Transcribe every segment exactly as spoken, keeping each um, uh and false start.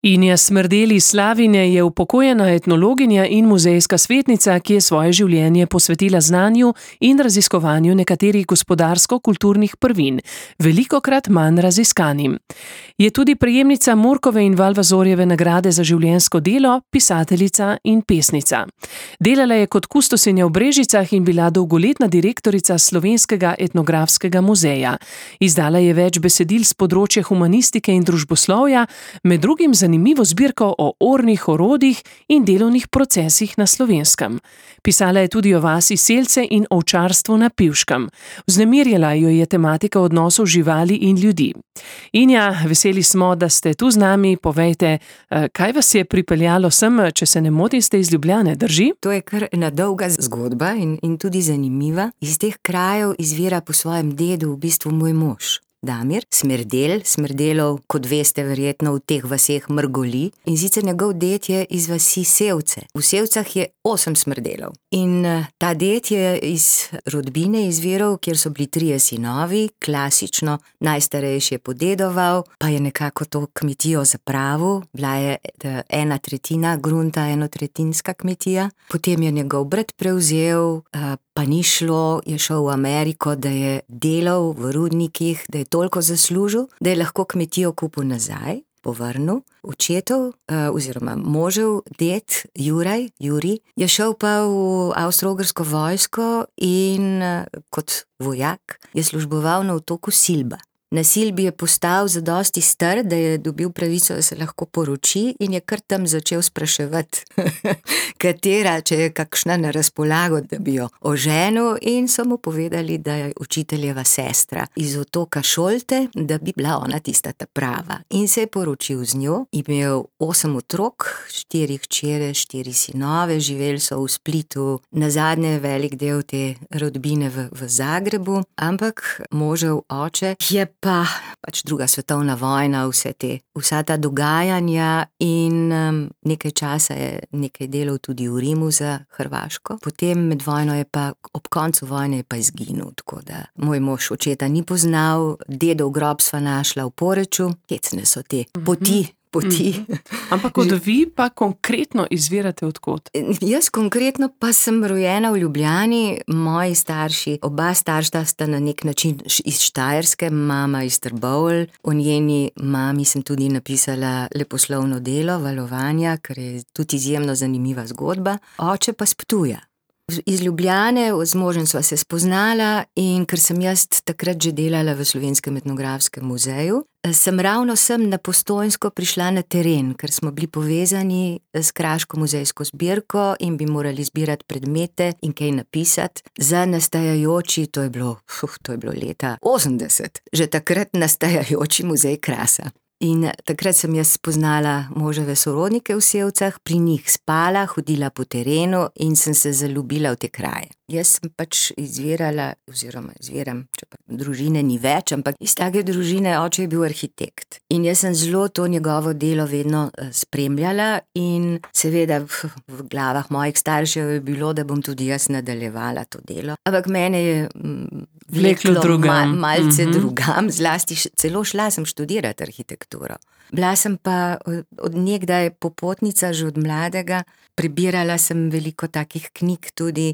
Inja Smrdel iz Slavine je upokojena etnologinja in muzejska svetnica, ki je svoje življenje posvetila znanju in raziskovanju nekaterih gospodarsko-kulturnih prvin, velikokrat manj raziskanim. Je tudi prejemnica Murkove in Valvazorjeve nagrade za življenjsko delo, pisateljica in pesnica. Delala je kot kustosinja v Brežicah in bila dolgoletna direktorica Slovenskega etnografskega muzeja. Izdala je več besedil s področja humanistike in družboslovja, med drugim zanimivo zbirko o ornih orodjih in delovnih procesih na Slovenskem. Pisala je tudi o vasi Selce in ovčarstvu na Pivškem. Vznemirjala jo je tematika odnosov živali in ljudi. Inja, veseli smo, da ste tu z nami. Povejte, kaj vas je pripeljalo sem, če se ne motim, ste iz Ljubljane, drži? To je kar ena dolga zgodba in, in tudi zanimiva. Iz teh krajev izvira po svojem dedu v bistvu moj mož. Damir Smrdel, Smrdelov, kot veste, verjetno v teh vaseh mrgoli, in sicer njegov ded je iz vasi Sevce. V Sevcah je osem Smrdelov. In ta ded je iz rodbine izviral, kjer so bili trije sinovi, klasično, najstarejši je podedoval, pa je nekako to kmetijo zapravil, bila je ena tretjina grunta, enotretjinska kmetija, potem je njegov brat prevzel, pa ni šlo, je šel v Ameriko, da je delal v rudnikih, da je toliko zaslužil, da je lahko kmetijo kupil nazaj, povrnil. Očetov, oziroma možev ded, Juraj, Juri, je šel pa v Avstro-Ogrsko vojsko in kot vojak je služboval na otoku Silba. Na Silbi je postal zadosti star, da je dobil pravico, da se lahko poroči, in je kar tam začel spraševati, katera, če je kakšna na razpolago, da bi jo oženil, in so mu povedali, da je učiteljeva sestra iz otoka Šolte, da bi bila ona tista ta prava. In se je poročil z njo, imel osem otrok, štiri hčere, štiri sinove, živeli so v Splitu, nazadnje velik del te rodbine v, v Zagrebu, ampak možev oče je pa pač druga svetovna vojna, vse te, vsa ta dogajanja, in um, nekaj časa je nekaj delal tudi v Rimu za Hrvaško. Potem med vojno je pa, ob koncu vojne je pa izginil, tako da moj mož očeta ni poznal, dedov grob sva našla v Poreču, hecne so te poti, poti. Ampak od vi pa konkretno izvirate od kod? Jaz konkretno pa sem rojena v Ljubljani, moji starši, oba starša sta na nek način iz Štajerske, mama iz Trbovelj, o njeni mami sem tudi napisala leposlovno delo Valovanja, ker je tudi izjemno zanimiva zgodba, oče pa s Ptuja. Iz Ljubljane, z možem sva se spoznala, in ker sem jaz takrat že delala v Slovenskem etnografskem muzeju, sem ravno sem na Postojnsko prišla na teren, ker smo bili povezani s kraško muzejsko zbirko in bi morali zbirati predmete in kaj napisati za nastajajoči, to je bilo, uf, to je bilo leta osemdeset, že takrat nastajajoči muzej krasa. In takrat sem jaz spoznala moževe sorodnike v Sevcah, pri njih spala, hodila po terenu in sem se zaljubila v te kraje. Jaz sem pač izvirala, oziroma izviram, če pa družine ni več, ampak iz take družine, oče je bil arhitekt. In jaz sem zelo to njegovo delo vedno spremljala in seveda v, v glavah mojih staršev je bilo, da bom tudi jaz nadaljevala to delo. Ampak mene je m, vleklo mal, malce mm-hmm. drugam, zlasti celo šla sem študirati arhitekturo. Bila sem pa od nekdaj popotnica, že od mladega, prebirala sem veliko takih knjig tudi.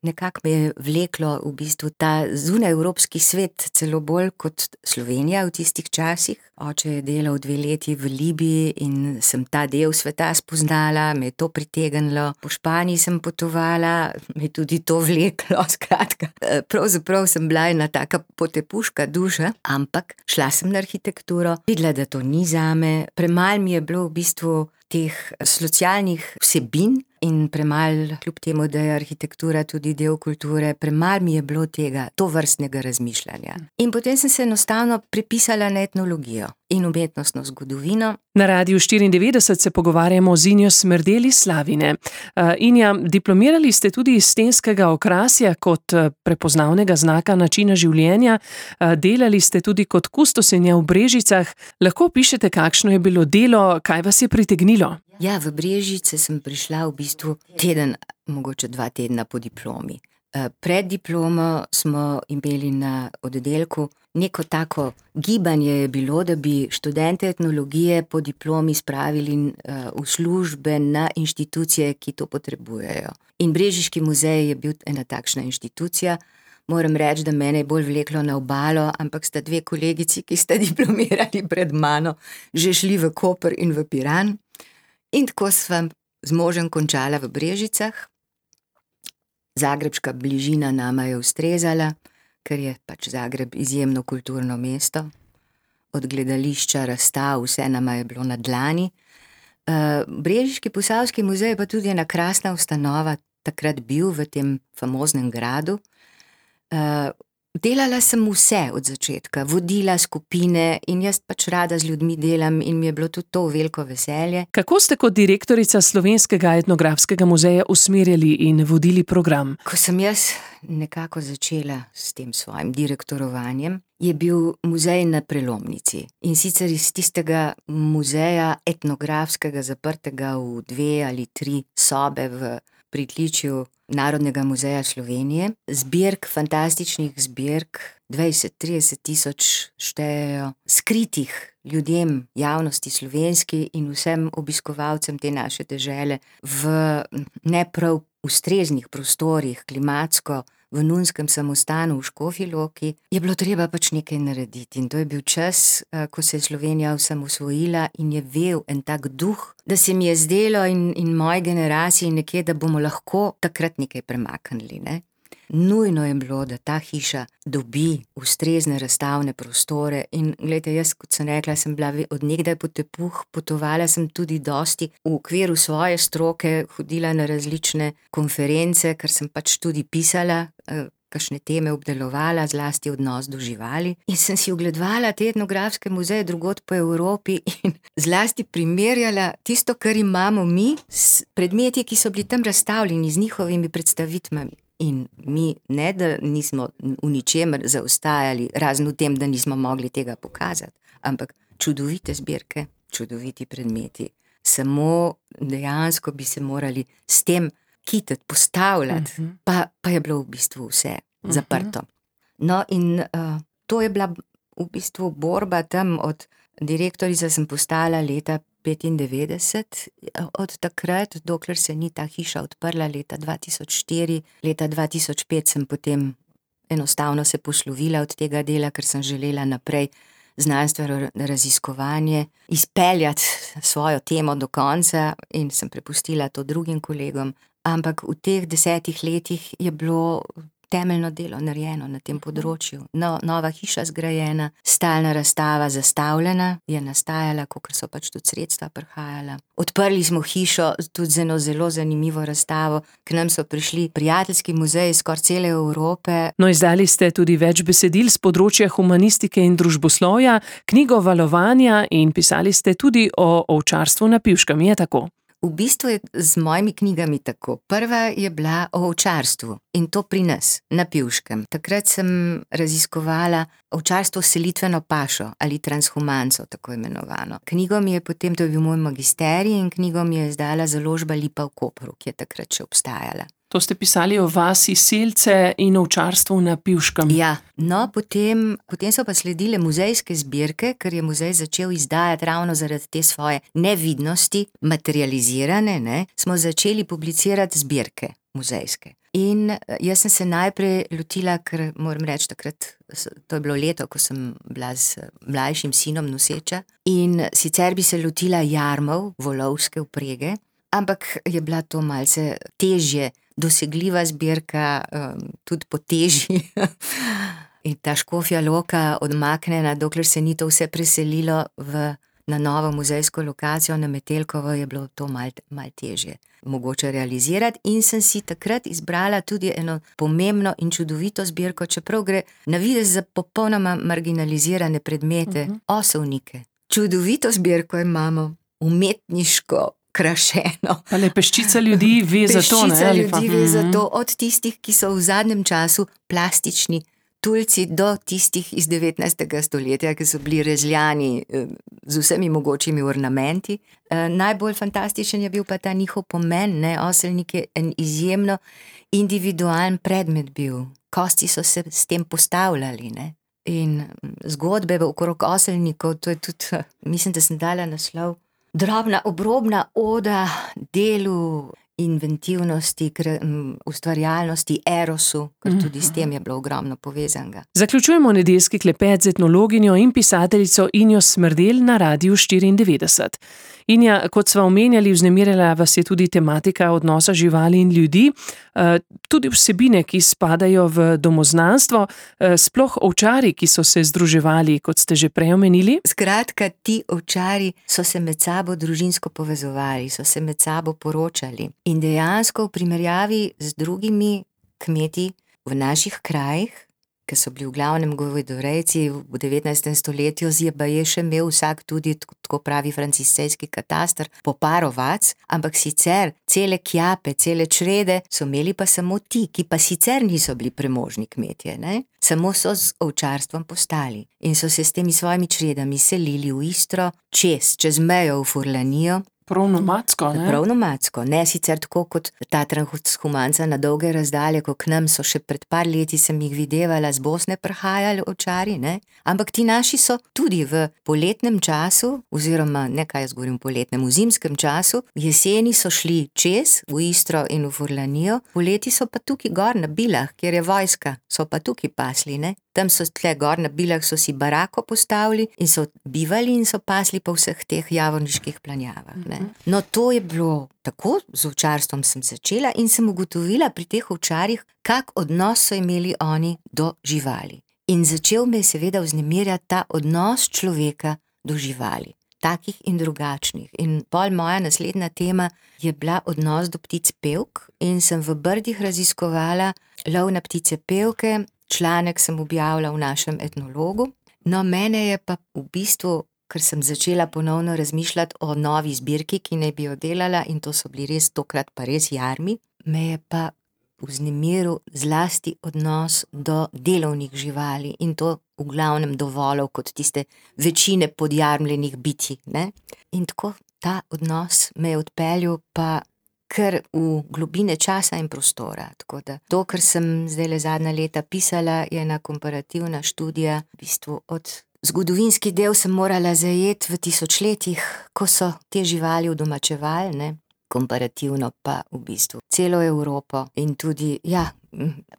Nekako me je vleklo v bistvu ta zunajevropski svet, celo bolj kot Slovenija v tistih časih. Oče je delal dve leti v Libiji in sem ta del sveta spoznala, me je to pritegnilo. Po Španiji sem potovala, me je tudi to vleklo, skratka. Pravzaprav sem bila ena taka potepuška duša, ampak šla sem na arhitekturo, videla, da to ni zame. Premalo mi je bilo v bistvu teh socialnih vsebin in premalo, kljub temu, da je arhitektura tudi del kulture, premalo mi je bilo tega, tovrstnega razmišljanja. In potem sem se enostavno prepisala na etnologijo in umetnostno zgodovino. Na Radiu štiriindevetdeset se pogovarjamo z Injo Smrdel iz Slavine. Uh, Inja, diplomirali ste tudi iz stenskega okrasja kot prepoznavnega znaka načina življenja, uh, delali ste tudi kot kustosinja v Brežicah. Lahko opišete, kakšno je bilo delo, kaj vas je pritegnilo? Ja, v Brežice sem prišla v bistvu teden, mogoče dva tedna po diplomi. Pred diplomo smo imeli na oddelku neko tako gibanje je bilo, da bi študente etnologije po diplomi spravili v službe na inštitucije, ki to potrebujejo. In Brežiški muzej je bil ena takšna inštitucija. Moram reči, da mene je bolj vleklo na obalo, ampak sta dve kolegici, ki sta diplomirali pred mano, že šli v Koper in v Piran. In tako sva z možem končala v Brežicah. Zagrebška bližina nama je ustrezala, ker je pač Zagreb izjemno kulturno mesto. Od gledališča, razstav, vse nama je bilo na dlani. Brežiški posavski muzej pa tudi ena krasna ustanova, takrat bil v tem famoznem gradu. Delala sem vse od začetka, vodila skupine in jaz pač rada z ljudmi delam in mi je bilo tudi to veliko veselje. Kako ste kot direktorica Slovenskega etnografskega muzeja usmerjali in vodili program? Ko sem jaz nekako začela s tem svojim direktorovanjem, je bil muzej na prelomnici. In sicer iz tistega muzeja etnografskega, zaprtega v dve ali tri sobe v pritličju Narodnega muzeja Slovenije, zbirk, fantastičnih zbirk, dvajset, trideset tisoč štejejo, skritih ljudem, javnosti slovenski in vsem obiskovalcem te naše dežele v ne prav ustreznih prostorih, klimatsko, v nunskem samostanu v Škofji Loki, je bilo treba pač nekaj narediti. In to je bil čas, ko se je Slovenija osamosvojila in je vel en tak duh, da se mi je zdelo in, in moji generaciji nekje, da bomo lahko takrat nekaj premaknili, ne. Nujno je bilo, da ta hiša dobi ustrezne razstavne prostore in glejte, jaz, kot sem rekla, sem bila od nekdaj potepuh, potovala sem tudi dosti v okviru svoje stroke, hodila na različne konference, ker sem pač tudi pisala, kakšne teme obdelovala, zlasti odnos do živali. In sem si ogledovala te etnografske muzeje drugod po Evropi in zlasti primerjala tisto, kar imamo mi, s predmeti, ki so bili tam razstavljeni, z njihovimi predstavitvami. In mi ne, da nismo v ničemer zaostajali, razen v tem, da nismo mogli tega pokazati, ampak čudovite zbirke, čudoviti predmeti. Samo dejansko bi se morali s tem kitati, postavljati, uh-huh. pa, pa je bilo v bistvu vse uh-huh. zaprto. No in uh, to je bila v bistvu borba tam od direktorica sem postala leta petindevetdeset, od takrat, dokler se ni ta hiša odprla leta dva tisoč štiri, leta dva tisoč pet sem potem enostavno se poslovila od tega dela, ker sem želela naprej znanstveno raziskovanje, izpeljati svojo temo do konca in sem prepustila to drugim kolegom, ampak v teh desetih letih je bilo temeljno delo narejeno na tem področju. No, nova hiša zgrajena, stalna razstava zastavljena, je nastajala, kakor so pač tudi sredstva prihajala. Odprli smo hišo tudi z eno zelo zanimivo razstavo, k nam so prišli prijateljski muzeji skoraj cele Evrope. No, izdali ste tudi več besedil z področja humanistike in družboslovja, knjigo Valovanja in pisali ste tudi o ovčarstvu na Pivškem, je tako? V bistvu je z mojimi knjigami tako. Prva je bila o ovčarstvu in to pri nas, na Pivškem. Takrat sem raziskovala ovčarstvo s selitveno pašo ali transhumanco, tako imenovano. Knjigo mi je potem, to je bil moj magisterij in knjigo mi je izdala založba Lipa v Kopru, ki je takrat še obstajala. To ste pisali o vasi Selce in ovčarstvu na Pivškem. Ja, no potem, potem so pa sledile muzejske zbirke, ker je muzej začel izdajati ravno zaradi te svoje nevidnosti, materializirane, ne, smo začeli publicirati zbirke muzejske. In jaz sem se najprej lotila, ker moram reči takrat, to je bilo leto, ko sem bila z mlajšim sinom noseča, in sicer bi se lotila jarmov, volovske vprege, ampak je bila to malce težje, dosegljiva zbirka, um, tudi po teži. In ta Škofja Loka odmaknjena, dokler se ni to vse preselilo v, na novo muzejsko lokacijo na Metelkovo, je bilo to mal, mal težje mogoče realizirati. In sem si takrat izbrala tudi eno pomembno in čudovito zbirko, čeprav gre na videz za popolnoma marginalizirane predmete, uh-huh. osovnike. Čudovito zbirko imamo, umetniško, krašeno. Ali peščica ljudi ve za to, ne? Peščica ljudi ve za to, od tistih, ki so v zadnjem času plastični tulci do tistih iz devetnajstega stoletja, ki so bili rezljani z vsemi mogočimi ornamenti. Najbolj fantastičen je bil pa ta njihov pomen, ne, oselnik je en izjemno individualen predmet bil. Kosti so se s tem postavljali, ne. In zgodbe okrog oselnikov, to je tudi, mislim, da sem dala naslov, drobna obrobna oda delu, inventivnosti, ustvarjalnosti, erosu, ker tudi s tem je bilo ogromno povezanega. Zaključujemo nedeljski klepet z etnologinjo in pisateljico Injo Smrdelj na Radiu štiriindevetdeset. Inja, kot sva omenjali, vznemirjala vas je tudi tematika odnosa živali in ljudi, tudi vsebine, ki spadajo v domoznanstvo, sploh ovčari, ki so se združevali, kot ste že prej omenili. Skratka, ti ovčari so se med sabo družinsko povezovali, so se med sabo poročali. In dejansko v primerjavi z drugimi kmeti v naših krajih, ki so bili v glavnem govedorejci v devetnajstem stoletju, je baje še imel vsak tudi, tako pravi franciscejski kataster, po par ovac, ampak sicer cele kjape, cele črede so imeli pa samo ti, ki pa sicer niso bili premožni kmetje, ne? Samo so z ovčarstvom postali in so se s temi svojimi čredami selili v Istro, čez, čez mejo v Furlanijo. Prav nomadsko, ne? Prav nomadsko, ne sicer tako kot ta transhumanca na dolge razdalje, ko k nam so še pred par leti sem jih videvala z Bosne prihajali ovčari, ne? Ampak ti naši so tudi v poletnem času, oziroma ne kaj jaz govorim poletnem, v zimskem času, jeseni so šli čez v Istro in v Furlanijo, poleti so pa tukaj gor na Bilah, kjer je vojska, so pa tukaj pasli, ne? Tam so tle gor na Bilah so si barako postavili in so bivali in so pasli po vseh teh javorniških planjavah, ne. No, to je bilo tako, z ovčarstvom sem začela in sem ugotovila pri teh ovčarjih, kak odnos so imeli oni do živali. In začel me je seveda vznemirjati ta odnos človeka do živali, takih in drugačnih. In pol moja naslednja tema je bila odnos do ptic pevk in sem v Brdih raziskovala lov na ptice pevke. Članek sem objavila v našem etnologu. No, mene je pa v bistvu, ker sem začela ponovno razmišljati o novi zbirki, ki naj bi jo delala, in to so bili res tokrat pa res jarmi, me je pa vznemiril zlasti odnos do delovnih živali in to v glavnem do volov kot tiste večine podjarmljenih bitij, ne. In tako ta odnos me je odpeljal pa kar v globine časa in prostora. Tako da to, kar sem zdajle zadnja leta pisala, je ena komparativna študija, v bistvu od zgodovinski del sem morala zajeti v tisočletjih, ko so te živali udomačevali, ne, komparativno pa v bistvu celo Evropo in tudi, ja,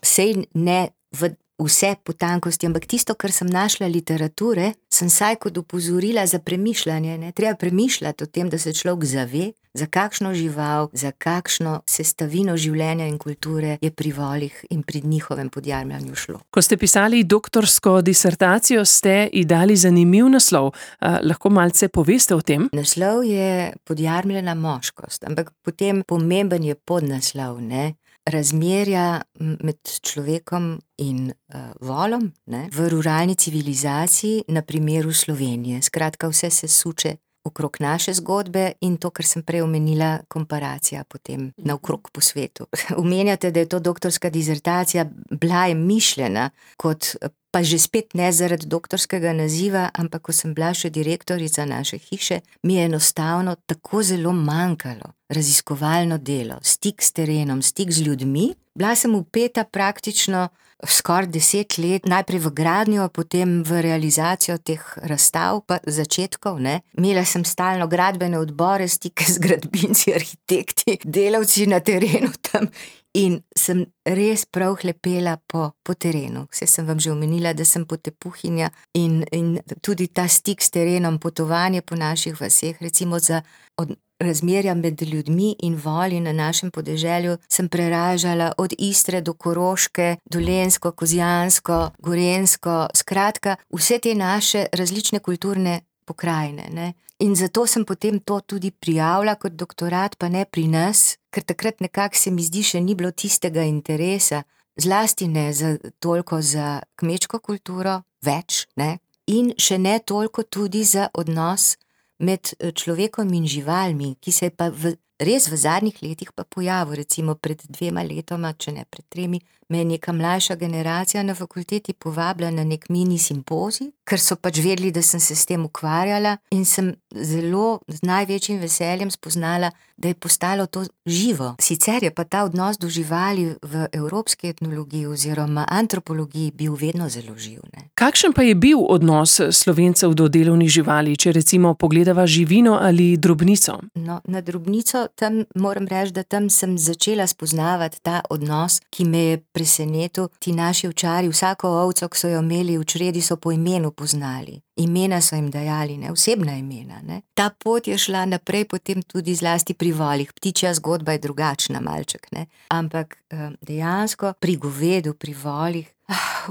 sej ne v vse potankosti, ampak tisto, kar sem našla literature, sem saj kot upozorila za premišljanje, ne, treba premišljati o tem, da se človek zave, za kakšno žival, za kakšno sestavino življenja in kulture je pri volih in pri njihovem podjarmljanju šlo. Ko ste pisali doktorsko disertacijo, ste ji dali zanimiv naslov. A, lahko malce poveste o tem? Naslov je Podjarmljena moškost, ampak potem pomemben je podnaslov, ne, razmerja med človekom in uh, volom, ne, v ruralni civilizaciji, na primeru Slovenije. Skratka, vse se suče okrog naše zgodbe in to, kar sem prej omenila, komparacija potem naokrog po svetu. Omenjate, da je to doktorska disertacija, bila je mišljena kot, pa že spet ne zaradi doktorskega naziva, ampak ko sem bila še direktorica naše hiše, mi je enostavno tako zelo manjkalo raziskovalno delo, stik s terenom, stik z ljudmi. Bila sem vpeta praktično skoraj deset let, najprej v gradnjo, potem v realizacijo teh razstav, pa začetkov, ne. Imela sem stalno gradbene odbore, stike z gradbinci, arhitekti, delavci na terenu tam in sem res prav hlepela po, po terenu. Vse sem vam že omenila, da sem potepuhinja in, in tudi ta stik s terenom, potovanje po naših vaseh, recimo za od razmerja med ljudmi in voli na našem podeželju sem preražala od Istre do Koroške, Dolenjsko, Kozjansko, Gorenjsko, skratka, vse te naše različne kulturne pokrajine, ne. In zato sem potem to tudi prijavila kot doktorat, pa ne pri nas, ker takrat nekako se mi zdi še ni bilo tistega interesa, zlasti ne za, toliko za kmečko kulturo, več, ne, in še ne toliko tudi za odnos med človekom in živalmi, ki se je pa v res v zadnjih letih pa pojavil, recimo pred dvema letoma, če ne pred tremi, me je neka mlajša generacija na fakulteti povabila na nek mini simpozij, ker so pač vedeli, da sem se s tem ukvarjala in sem zelo z največjim veseljem spoznala, da je postalo to živo. Sicer je pa ta odnos do živali v evropski etnologiji oziroma antropologiji bil vedno zelo živ, ne. Kakšen pa je bil odnos Slovencev do delovnih živali, če recimo pogledava živino ali drobnico? No, na drobnico tam moram reči, da tam sem začela spoznavati ta odnos, ki me je presenetil. Ti naši ovčarji, vsako ovco, ki so jo imeli v čredi, so po imenu poznali. Imena so jim dajali, ne, osebna imena, ne. Ta pot je šla naprej potem tudi zlasti pri volih. Ptičja zgodba je drugačna malček, ne. Ampak dejansko pri govedu, pri volih,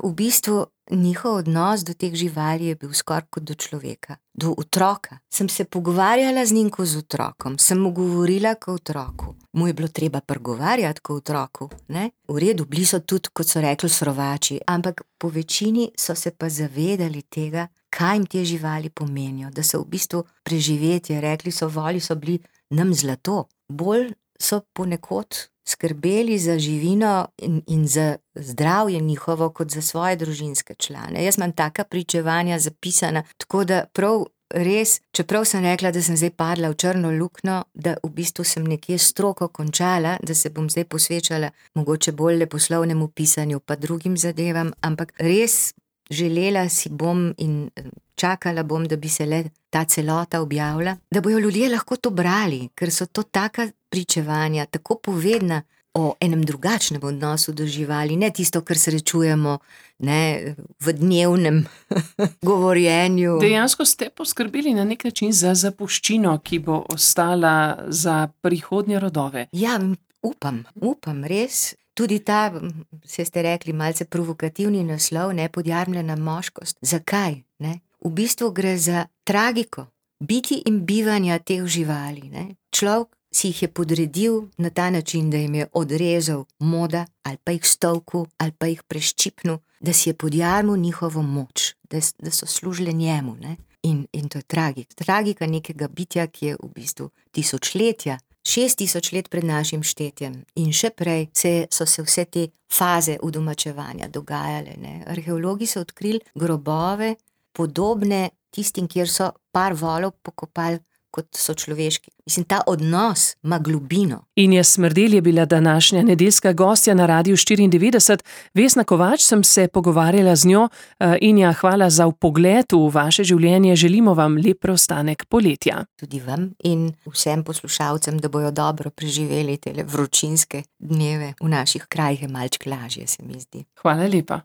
v bistvu njihov odnos do teh živali je bil skoraj kot do človeka, do otroka. Sem se pogovarjala z njim kot z otrokom, sem mu govorila kot otroku. Mu je bilo treba pregovarjati kot otroku, ne. V redu, bili so tudi, kot so rekli, srovači, ampak po večini so se pa zavedali tega, kaj jim te živali pomenijo, da so v bistvu preživetje, rekli so, voli so bili nam zlato. Bolj so ponekod skrbeli za živino in, in za zdravje njihovo kot za svoje družinske člane. Jaz imam taka pričevanja zapisana, tako da prav res, čeprav sem rekla, da sem zdaj padla v črno luknjo, da v bistvu sem nekje stroko končala, da se bom zdaj posvečala mogoče bolj leposlovnemu pisanju pa drugim zadevam, ampak res želela si bom in čakala bom, da bi se le ta celota objavila, da bojo ljudje lahko to brali, ker so to taka pričevanja, tako povedna o enem drugačnem odnosu do živali, ne tisto, kar srečujemo, ne, v dnevnem govorjenju. Dejansko ste poskrbeli na nek način za zapuščino, ki bo ostala za prihodnje rodove. Ja, upam, upam, res. Tudi ta, se ste rekli, malce provokativni naslov, ne, Podjarmljena moškost. Zakaj, ne? V bistvu gre za tragiko biti in bivanja teh živali, ne. Človek si jih je podredil na ta način, da jim je odrezal moda ali pa jih stolku ali pa jih preščipnil, da si je podjarmil njihovo moč, da, da so služile njemu, ne. In, in to je tragika. Tragika nekega bitja, ki je v bistvu tisočletja, šest tisoč let pred našim štetjem in še prej se, so se vse te faze udomačevanja dogajale, ne. Arheologi so odkrili grobove podobne tistim, kjer so par volov pokopali kot so človeški. Mislim, ta odnos ima globino. Inja Smrdelj je bila današnja nedeljska gostja na Radiu štiriindevetdeset. Vesna Kovač sem se pogovarjala z njo. Inja, hvala za vpogled v vaše življenje. Želimo vam lep preostanek poletja. Tudi vam in vsem poslušalcem, da bojo dobro preživeli tele vročinske dneve. V naših krajih je malček lažje, se mi zdi. Hvala lepa.